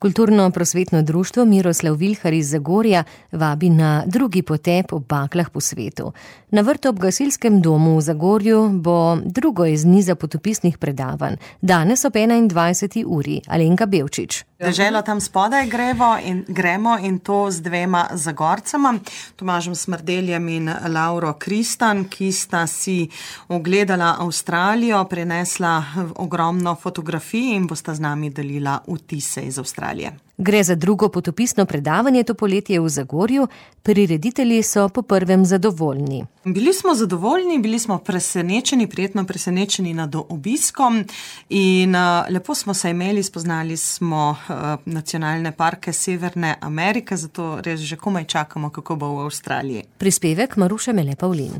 Kulturno-prosvetno društvo Miroslav Vilhar iz Zagorja vabi na drugi potep ob baklah po svetu. Na vrtu ob gasilskem domu v Zagorju bo drugo iz niza potopisnih predavanj. Danes ob 21. uri. Alenka Bevčič. Deželo tam spodaj gremo in to z dvema Zagorcema, Tomažem Smrdeljem in Lauro Kristan, ki sta si ogledala Avstralijo, prinesla ogromno fotografij in bosta z nami delila vtise iz Avstralije. Gre za drugo potopisno predavanje to poletje v Zagorju. Prireditelji so po prvem zadovoljni. Bili smo zadovoljni, bili smo presenečeni, prijetno presenečeni nad obiskom in lepo smo se imeli, spoznali smo nacionalne parke Severne Amerike, zato res že komaj čakamo, kako bo v Avstraliji. Prispevek Maruše Mele Pavlin.